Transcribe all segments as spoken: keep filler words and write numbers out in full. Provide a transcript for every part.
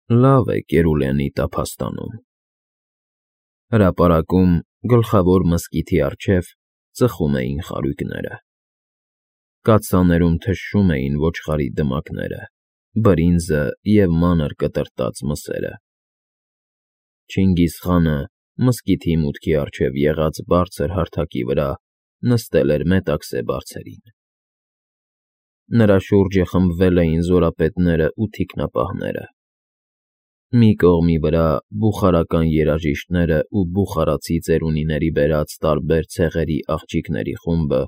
Լավ է Կերուլենի տափաստանում։ Հրապարակում, գլխավոր մզկիթի առջև, ծխում էին խարույկները։ Կաթսաներում թշշում էին ոչխարի դմակները, բրինձը և մանր կտրտած մսերը։ Չինգիզխանը մզկիթի մուտքի առջև եղած բարձր հարթակի վրա նստել էր մետաքսե բարձերին։ Նրա շուրջը խմբվել էին զորապետներն ու թիկնապահները։ Մի կողմի վրա բուխարական երաժիշտներն ու բուխարացի ծերունիների բերած տարբեր ցեղերի աղջիկների խումբը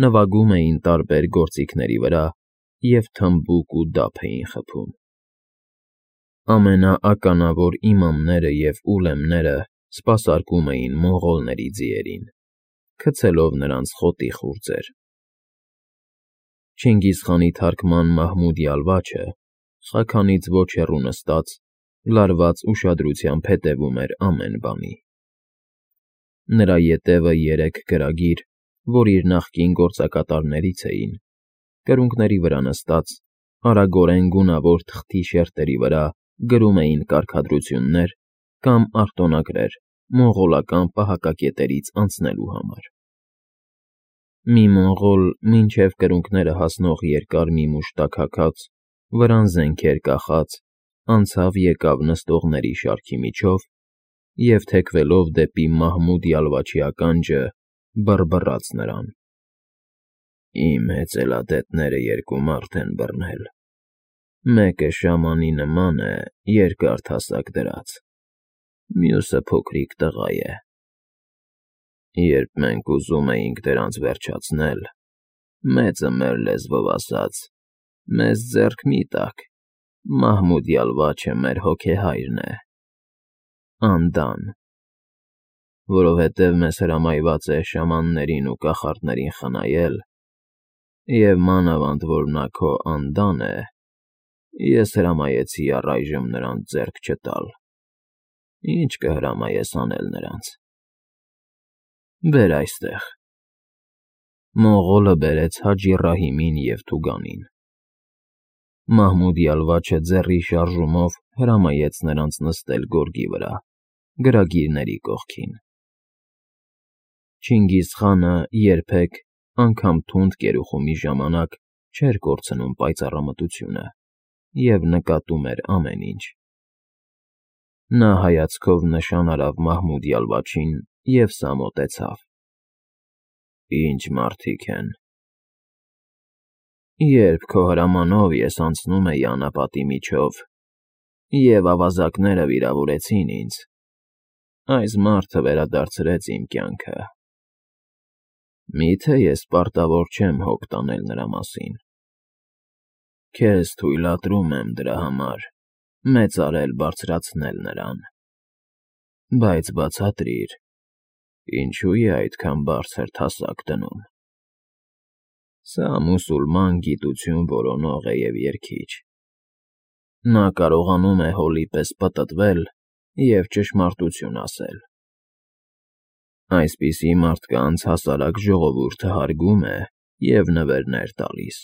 նվագում էին տարբեր գործիքների վրա և թմբուկ ու դափ էին խփում։ Ամենաականավոր իմամները և ուլեմները սպասարկում էին մոնղոլների ձիերին, գցելով նրանց խոտի խուրձեր։ Չինգիզխանի թարկման Մահմուդ֊Յալվաչը, խաքանից ոչ հեռու նստած, լարված ուշադրությամբ հետևում էր ամեն բանի։ Նրա ետևը երեք գրագիր, որ իր նախկին գործակատարներից էին, կրունկների վրա նստած, արագորեն գունավոր թղթի շերտերի վրա գրում էին կարգադրություններ կամ արտոնագրեր մոնղոլական պահակակետերից անցնելու համար։ Մի մոնղոլ մինչև կրունկները հասնող երկար մի մուշտակ հագած, վրան զենքեր կախած, անցավ֊եկավ նստողների շարքի միջով և, թեքվելով դեպի Մահմուդ֊Յալվաչի ականջը, բռբռաց նրան. «Իմ հեծելադետները երկու մարդ են բռնել, մեկը շամանի նման է երկար թասակ դրած, մյուսը փոքրիկ տղա է։ Երբ մենք ուզում էինք դրանց վերջացնել, մեծը մեր լեզվով ասաց. «Մեզ ձեռք մի՛ տաք, Մահմուդ֊Յալվաչը մեր հոգեհայրն է, Անդան, որովհետև մեզ հրամայված է շամաններին ու կախարդներին խնայել, և մանավանդ որ նա քո Անդան է, ես հրամայեցի առայժմ նրանց ձեռք չտալ։ Ի՞նչ կհրամայես անել նրանց»։ Բեր այստեղ։ Մոնղոլը բերեց Հաջի Ռահիմին և Թուգանին։ Մահմուդ֊Յալվաչը ձեռի շարժումով հրամայեց նրանց նստել գորգի վրա, գրագիրների կողքին։ Չինգիզխանը երբեք, անգամ թունդ կերուխումի ժամանակ, չէր կորցնում պայծառամտությունը և նկատում էր ամեն ինչ։ Նա հայացքով նշան արավ Մահմուդ֊Յալվաչին և սա մոտեցավ. «Ի՞նչ մարդիկ են»։ «Երբ քո հրամանով ես անցնում էի անապատի միջով, և ավազակները վիրավորեցին ինձ, այս մարդը վերադարձրեց իմ կյանքը։ Մի՞թե ես պարտավոր չեմ հոգ տանել նրա մասին։ Քեզ թույլատրում եմ դրա համար մեծարել բարձրացնել նրան։ Բայց բացատրիր, ինչո՞ւ է այդքան բարձր թասակ դնում։ Սա մուսուլման գիտություն որոնող է և երգիչ։ Նա կարողանում է հոլի պես պտտվել և ճշմարտություն ասել։ Այսպիսի մարդկանց հասարակ ժողովուրդը հարգում է և նվերներ տալիս։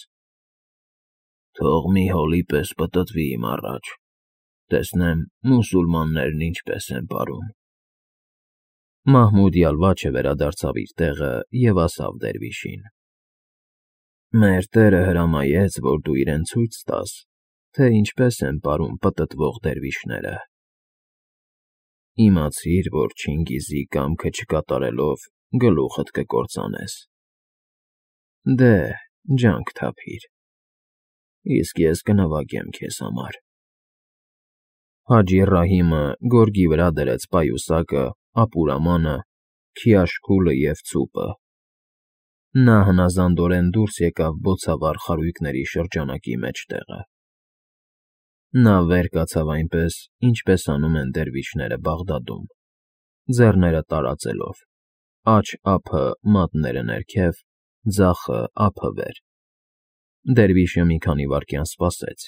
Թող մի հոլի պես պտտվի իմ առաջ, տեսնեմ մուսուլմաններն ինչպես են պարում»։ Մահմուդ֊Յալվաչը վերադարձավ իր տեղը և ասավ դերվիշին. «Մեր տերը հրամայեց, որ դու իրեն ցույց տաս, թե ինչպես են պարում պտտվող դերվիշները։ Իմացիր, որ Չինգիզի կամքը չկատարելով գլուխդ կկործանես։ Դե, ջանք թափիր, իսկ ես կնվագեմ քեզ համար»։ Հաջի Ռահիմը գորգի վրա դրեց պայուսակը, ապուրամանը, քիաշքուլը և ցուպը։ Նա հնազանդորեն դուրս եկավ բոցավառ խարույկների շրջանակի մեջտեղը։ Նա վեր կացավ այնպես, ինչպես անում են դերվիշները Բաղդադում, ձեռները տարածելով, աջ ափը մատները ներքև, ձախը ափը վեր։ Դերվիշը մի քանի վայրկյան սպասեց։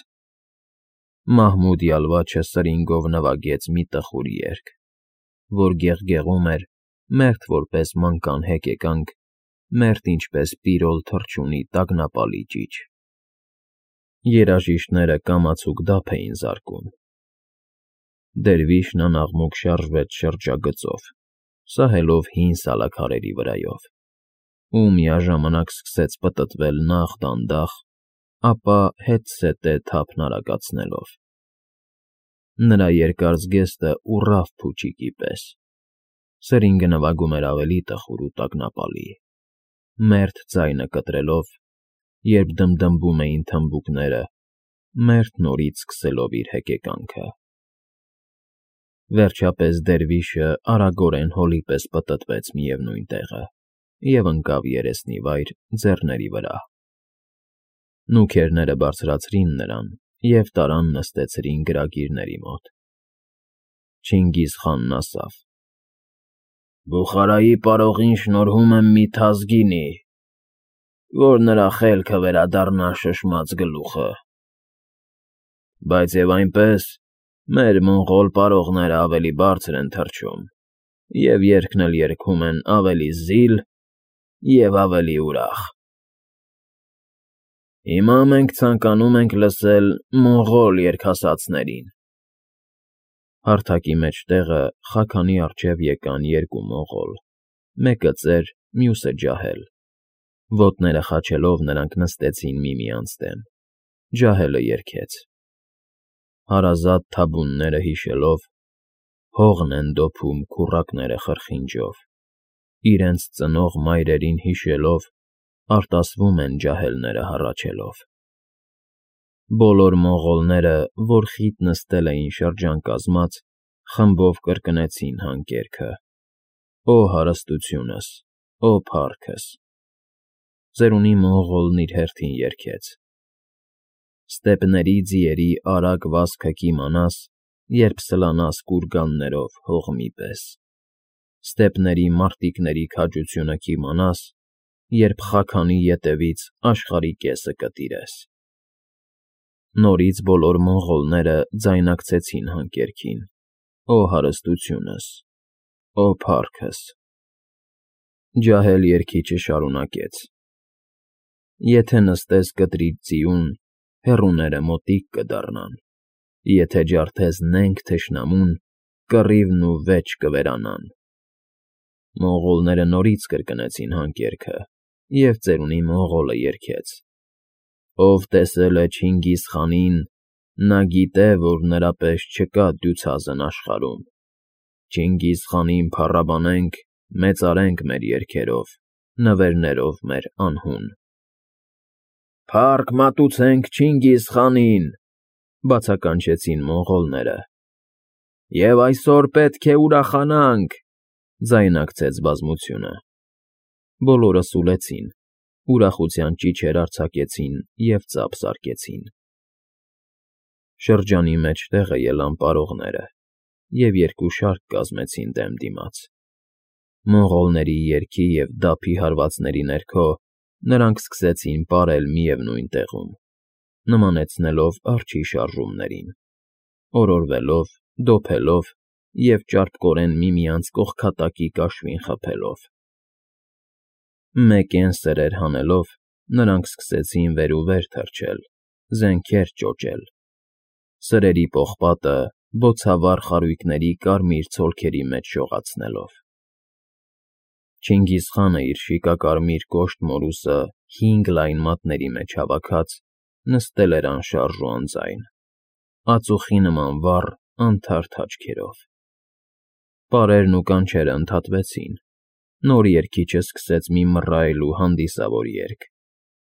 Մահմուդ֊Յալվաչը սրինգով նվագեց մի տխուր երգ, որ գեղգեղում էր, մերթ որպես մանկան հեկեկանք, մերթ ինչպես պիրոլ թռչունի տագնապալի ճիչ։ Երաժիշտները կամացուկ դափ էին զարկում, Դերվիշն անաղմուկ շարժվեց շրջագծով, սահելով հին սալաքարերի վրայով, ու միաժամանակ սկսեց պտտվել նախ դանդաղ, ապա հետզհետե թափն արագացնելով։ Նրա երկար զգեստը ուռավ փուչիկի պես, սրինգը նվագում էր ավելի տխուր ու տագնապալի, մերթ ձայնը կտրելով, երբ դմդմբում էին թմբուկները, մերթ նորից սկսելով իր հեկեկանքը։ Վերջապես դերվիշը արագորեն հոլի պես պտտվեց միևնույն տեղը և ընկավ երեսնիվայր ձեռների վրա։ Նուքերները բարձրացրին նրան և տարան նստեցրին գրագիրների մոտ։ Չինգիզխանն ասավ. «Բուխարայի պարողին շնորհում եմ մի թազգինի, որ նրա խելքը վերադառնա շշմած գլուխը, բայց և այնպես մեր մոնղոլ պարողները ավելի բարձր են թռչում և երգն էլ երգում են ավելի զիլ և ավելի ուրախ։ Հիմա մենք ցանկանում ենք լսել մոնղոլ երգասացներին»։ Հարթակի մեջտեղը խաքանի առջև եկան երկու մոնղոլ, մեկը ծեր, մյուսը ջահել։ Ոտները խաչելով նրանք նստեցին միմյանց դեմ, ջահելը երգեց. Հարազատ թաբունները հիշելով, հողն են դոփում քուռակները խրխինջով, իրենց ծնող մայրերին հիշելով, արտասվում են ջահելները հառաչելով։ Բոլոր մոնղոլները, որ խիտ նստել էին շրջան կազմած, խմբով կրկնեցին հանկերքը. «Օ հարստությունս, օ փառքս»։ Ծերունի մոնղոլն իր հերթին երգեց. Ստեպների ձիերի արագ վազքը կիմանաս, երբ սլանաս կուրգաններով հողմի պես, Ստեպների մարտիկների քաջությունը կիմանաս, երբ խաքանի ետևից աշխարհի կեսը կտիրես։ Նորից բոլոր մոնղոլները ձայնակցեցին հանկերքին. «Օ հարստությունս, օ փառքս»։ Ջահել երգիչը շարունակեց. Եթե նստես կտրիտ ձիուն, հեռուները մոտիկ կդառնան, Եթե ջարդես նենգ թշնամուն, կռիվն ու վեճ կվերանան։ Մոնղոլները նորից կրկնեցին հանկերքը, և ծերունի մոնղոլը երգեց. Ով տեսել է Չինգիզխանին, նա գիտե, որ նրա պես չկա դյուցազն աշխարհում։ Չինգիզխանին փառաբանենք, մեծարենք մեր երգերով, նվերներով մեր անհուն։ Փառք մատուցենք Չինգիզխանին, բացականչեցին մոնղոլները։ Եվ այսօր պետք է ուրախանանք, ձայնակցեց բազմությունը։ Բոլորը սուլեցին, ուրախության ճիչեր արձակեցին և ծափ զարկեցին։ Շրջանի մեջտեղը ելան պարողները և երկու շարք կազմեցին դեմ դիմաց։ Մոնղոլների երգի և դափի հարվածների ներքո նրանք սկսեցին պարել միևնույն տեղում, նմանեցնելով արջի շարժումներին, օրորվելով, դոփելով և ճարպկորեն միմյանց կողքատակի կաշվին խփելով։ Մեկեն սրեր հանելով, նրանք սկսեցին վեր ու վեր թռչել, զենքեր ճոճել, սրերի պողպատը բոցավառ խարույկների կարմիր ցոլքերի մեջ շողացնելով։ Չինգիզխանը իր շիկակարմիր կոշտ մորուսը հինգ լայն մատների մեջ հավաքած, նստել էր անշարժ ու անձայն, ածուխի նման վառ, անթարթ աչքերով։ Պարերն ու կանչերը ընդհատվեցին, նոր երգիչը սկսեց մի մռայլ ու հանդիսավոր երգ,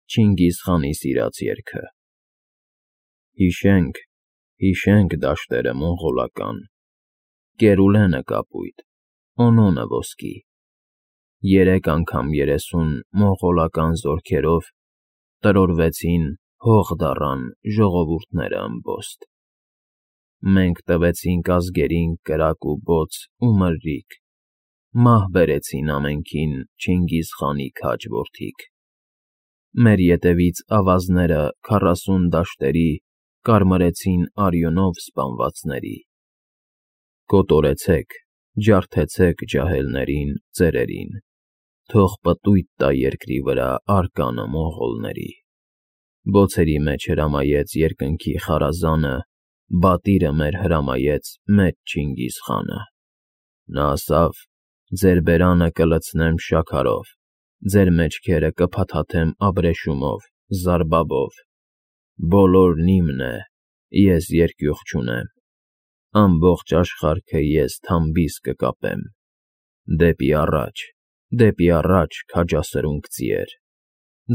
Չինգիզխանի սիրած երգը. Հիշենք, հիշենք դաշտերը մոնղոլական, Կերուլենը կապույտ, Օնոնը ոսկի, Երեք անգամ երեսուն մոնղոլական զորքերով Տրորվեցին, հող դառան ժողովուրդները ըմբոստ։ Մենք տվեցինք ազգերին կրակ ու բոց ու մրրիկ, Մահ բերեցին ամենքին Չինգիզխանի քաջ որդիք։ Մեր ետևից ավազները քառասուն դաշտերի Կարմրեցին արյունով սպանվածների։ Կոտորեցեք, ջարդեցեք ջահելներին, ծերերին, Թող պտույտ տա երկրի վրա արկանը մոնղոլների։ Բոցերի մեջ հրամայեց երկնքի խարազանը բատիրը մեր հրամայեց մեծ Չինգիզ խանը։ Նա ասավ. «Ձեր բերանը կլցնեմ շաքարով, ձեր մեջքերը կփաթաթեմ աբրեշումով, զարբաբով։ Բոլորն իմն է, ես երկյուղ չունեմ, ամբողջ աշխարհքը ես թամբիս կկապեմ։ Դեպի առաջ, դեպի առաջ, քաջասրունք ձիեր,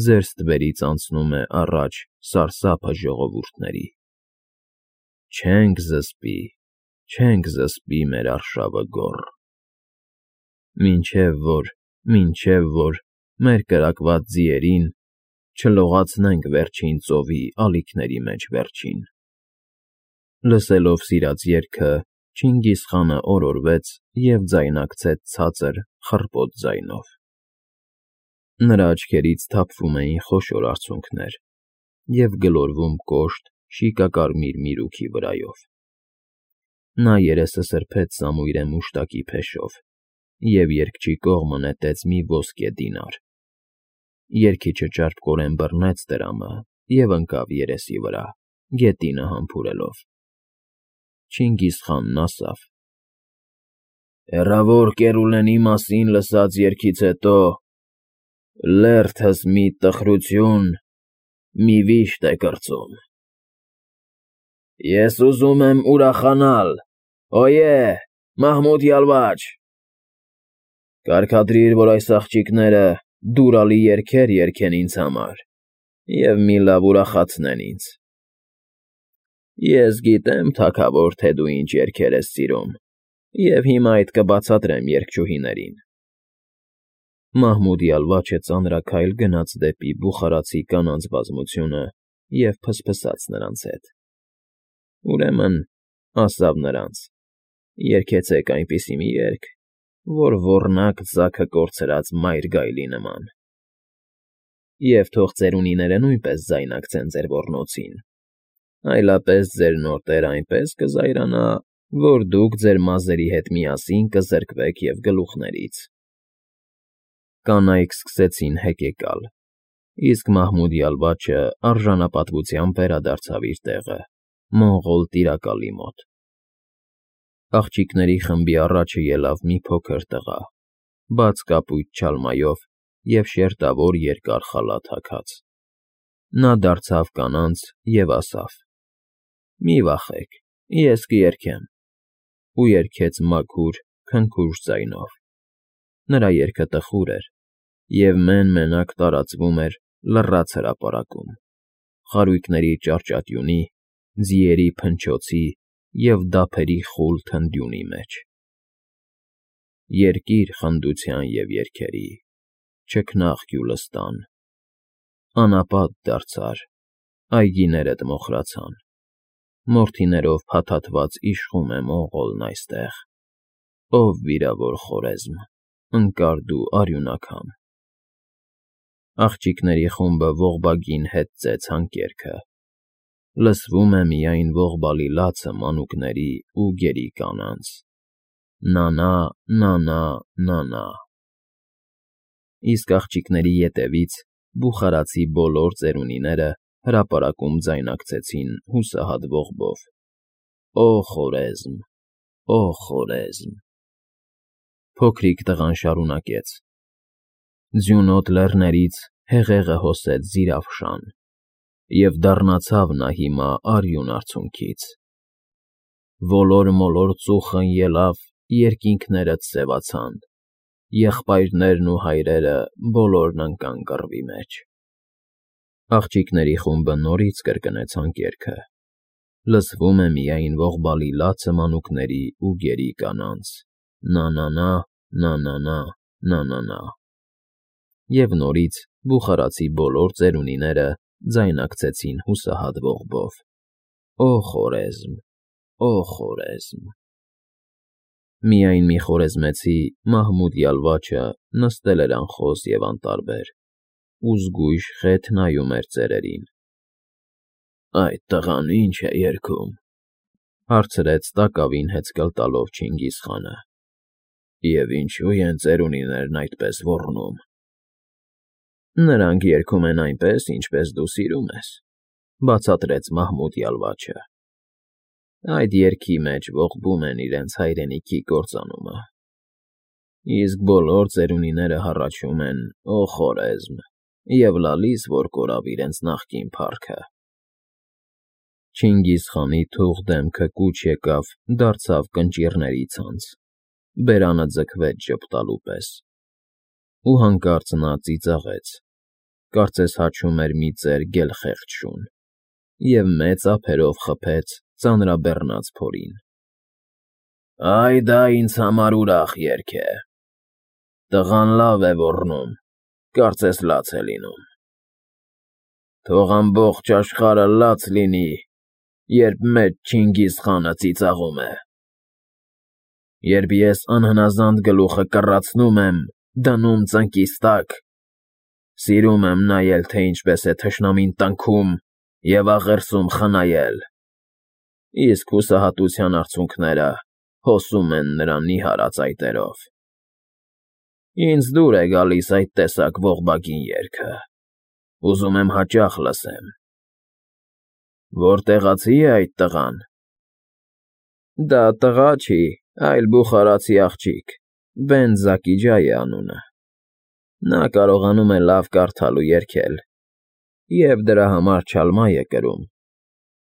ձեր ստվերից անցնում է առաջ սարսափը ժողովուրդների։ Չենք զսպի, չենք զսպի մեր արշավը գոռ, մինչև որ, մինչև որ մեր կրակված ձիերին չլողացնենք վերջին ծովի ալիքների մեջ վերջին»։ Լսելով սիրած երգը, Չինգիզ խանը օրորվեց և ձայնակցեց ցածր, խռպոտ ձայնով։ Նրա աչքերից թափվում էին խոշոր արցունքներ և գլորվում կոշտ, շիկակարմիր միրուքի վրայով։ Նա երեսը սրբեց սամույրե մուշտակի փեշով և երգչի կողմը նետեց մի ոսկե դինար։ Երգիչը ճարպկորեն բռնեց դրամը և ընկավ երեսի վրա, գետինը համբուրելով։ Չինգիզ խանն ասավ. «Հեռավոր Կերուլենի մասին լսած երգից հետո լերդս մի տխրություն, մի վիշտ է կրծում։ Ես ուզում եմ ուրախանալ, օյե, Մահմուդ յալվաչ. կարգադրիր, որ այս աղջիկները դուրալի երգեր երգեն ինձ համար և մի լավ ուրախացնեն ինձ։ Ես գիտեմ, թագավոր, թե դու ինչ երգեր ես սիրում, և հիմա այդ կբացատրեմ երգչուհիներին»։ Մահմուդ յալվաչը ծանրաքայլ գնաց դեպի բուխարացի կանանց բազմությունը և փսփսաց նրանց հետ։ Ուրեմն, ասավ նրանց. «Երգեցեք այնպիսի մի երգ, որ ոռնաք ձագը կորցրած մայր գայլի նման։ Եվ թող ծերունիները նույնպես ձայնակցեն ձեր ոռնոցին, այլապես ձեր նոր տերը այնպես կզայրանա, որ դուք ձեր մազերի հետ միասին կզրկվեք և գլուխներից»։ Կանայք սկսեցին հեկեկալ, իսկ Մահմուդ յալվաչը արժանապատվությամբ վերադարձավ իր տեղը՝ մոնղոլ տիրակալի մոտ։ Աղջիկների խմբի առաջը ելավ մի փոքր տղա, բաց կապույտ չալմայով և շերտավոր երկար խալաթ հագած։ Նա դարձավ կանանց և ասավ. «Մի վախեք, ես կերգեմ», ու երգեց մաքուր, քնքուշ ձայնով։ Նրա երգը տխուր էր և մեն֊մենակ տարածվում էր լռած հրապարակում, խարույկների ճարճատյունի, ձիերի փնչոցի և դափերի խուլ թնդյունի մեջ։ Երկիր խնդության և երգերի, չքնաղ Գյուլստան, անապատ դարձար, այգիներդ մոխրացան, մորթիներով փաթաթված իշխում է Մոնղոլն այստեղ, ով վիրավոր Խորեզմ, ընկար դու արյունակամ։ Աղջիկների խումբը ողբագին հետ ծեց հանկերքը, լսվում է միայն ողբալի լացը մանուկների ու գերի կանանց. «Նանա, նանա, նանա»։ Իսկ աղջիկների ետևից բուխարացի բոլոր ծերունիները հրապարակում ձայնակցեցին հուսահատ ողբով. «Օ Խորեզմ, օ Խորեզմ»։ Փոքրիկ տղան շարունակեց. «Ձյունոտ լեռներից հեղեղը հոսեց Զիրաֆշան, և դառնացավ նա հիմա արյուն արցունքից։ Ոլոր֊մոլոր ծուխն ելավ, երկինքներդ սևացան, եղբայրներն ու հայրերը բոլորն ընկան կռվի մեջ»։ Աղջիկների խումբը նորից կրկնեց հանկերքը, լսվում է միայն ողբալի լացը մանուկների ու գերի կանանց. «Նանանա, նանանա, նանանա»։ Եվ նորից բուխարացի բոլոր ծերունիները ձայնակցեցին հուսահատ ողբով. «Օ Խորեզմ, օ Խորեզմ»։ Միայն մի խորեզմեցի՝ Մահմուդ յալվաչը նստել էր անխոս և անտարբեր ու զգույշ խեթ նայում էր ծերերին։ «Այդ տղան ի՞նչ է երգում», հարցրեց տակավին հեծկլ տալով Չինգիզ խանը։ «Եվ ինչո՞ւ են ծերունիներն այդպես ոռնում»։ «Նրանք երգում են այնպես, ինչպես դու սիրում ես», բացատրեց Մահմուդ յալվաչը։ այդ երգի մեջ ողբում են իրենց հայրենիքի կործանումը, իսկ բոլոր ծերունիները հառաչում են «Օ Խորեզմ» և լալիս, որ կորավ իրենց նախկին փառքը։ Չինգիզխանի թուղ դեմքը կուչ եկավ, դարձավ կնճիռների ցանց, բերանը ձգվեց ժպտալու պես, ու հանկարծ նա ծիծաղեց, կարծես հաչում էր մի ծեր գելխեղճ շուն, և մեծ ափերով խփեց ծանրաբեռնած փորին։ «Այ դա ինձ համար ուրախ երգ է, տղան լավ է ոռնում, կարծես լաց է լինում։ Թող ամբողջ աշխարհը լաց լինի, երբ մեծ Չինգիզխանը ծիծաղում է։ Երբ ես անհնազանդ գլուխը կռացնում եմ, դնում ծնկիս տակ, սիրում եմ նայել, թե ինչպես է թշնամին տնքում և աղերսում խնայել, իսկ հուսահատության արցունքները հոսում են նրա նիհար ծայտերով։ Ինձ դուր է գալիս այդ տեսակ ողբագին երգը, ուզում եմ հաճախ լսեմ։ Որտեղացի՞ է այդ տղան։ Դա տղա չի, այլ բուխարացի աղջիկ, Բենդ֊Զաքի Ջայ է անունը։ Նա կարողանում է լավ կարդալ ու երգել, և դրա համար չալմա է կրում,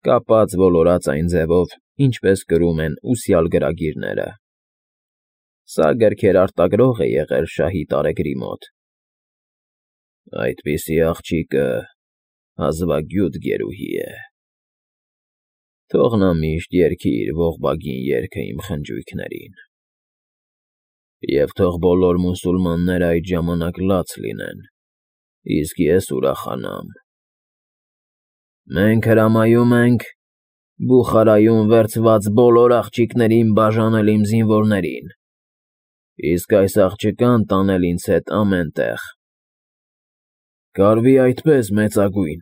կապած ոլորած այն ձևով, ինչպես կրում են ուսյալ գրագիրները։ Սա գրքեր արտագրող է եղել շահի տարեգրի մոտ։ Այդպիսի աղջիկը հազվագյուտ գերուհի է։ Թող նա միշտ երգի իր ողբագին երգը իմ խնջույքներին, և թող բոլոր մուսուլմանները այդ ժամանակ լաց լինեն, իսկ ես ուրախանամ։ Մենք հրամայում ենք Բուխարայում վերցված բոլոր աղջիկներին բաժանել իմ զինվորներին, իսկ այս աղջկան տանել ինձ հետ ամեն տեղ։ Կարվի այդպես, մեծագույն։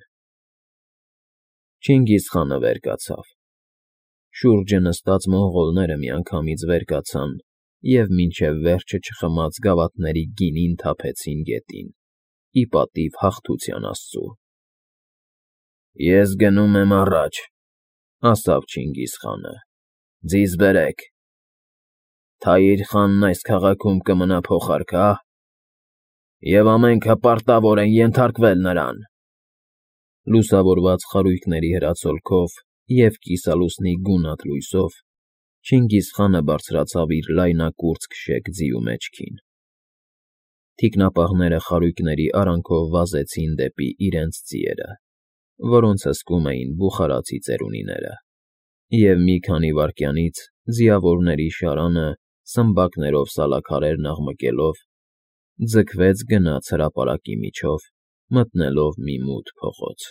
Չինգիզխանը վեր կացավ։ Շուրջը նստած մոնղոլները միանգամից վեր կացան և մինչև վերջը չխմած գավաթների գինին թափեցին գետին, ի պատիվ հաղթության աստծու։ Ես գնում եմ առաջ, ասաց Չինգիզխանը, ձիզ բերեք։ Թայիր խանն այս քաղաքում կմնա փոխարքա՞, և ամենքը պարտավոր են ենթարկվել նրան։ Լուսավորված խարույկների հրացոլքով և կիսալուսնի գունատ լույսով Չինգիզխանը բարձրացավ իր լայնակուրծք շեք ձիու մեջքին։ Թիկնապահները խարույկների արանքով վազեցին դեպի իրենց ձիերը, որոնց հսկում էին բուխարացի ծերունիները, և մի քանի վայրկյանից ձիավորների շարանը, սմբակներով սալաքարերն աղմկելով, ձգվեց գնաց հրապարակի միջով, մտնելով մի մութ փողոց։